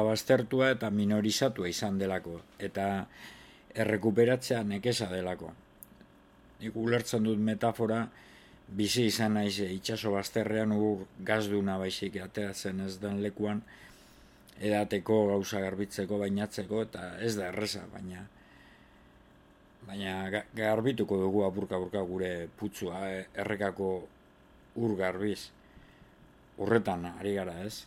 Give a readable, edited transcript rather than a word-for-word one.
baztertua eta minorizatua izan delako, eta errekuperatzea nekeza delako. Nik ulertzen dut metafora, bizi izan naiz itsaso bazterrean ur gazduna baizik ateratzen ez den lekuan, edateko, gauza garbitzeko, bainatzeko, eta ez da erreza, baina garbituko dugu apurka-apurka gure putzua, errekako ur garbiz. Horretan ari gara, ez?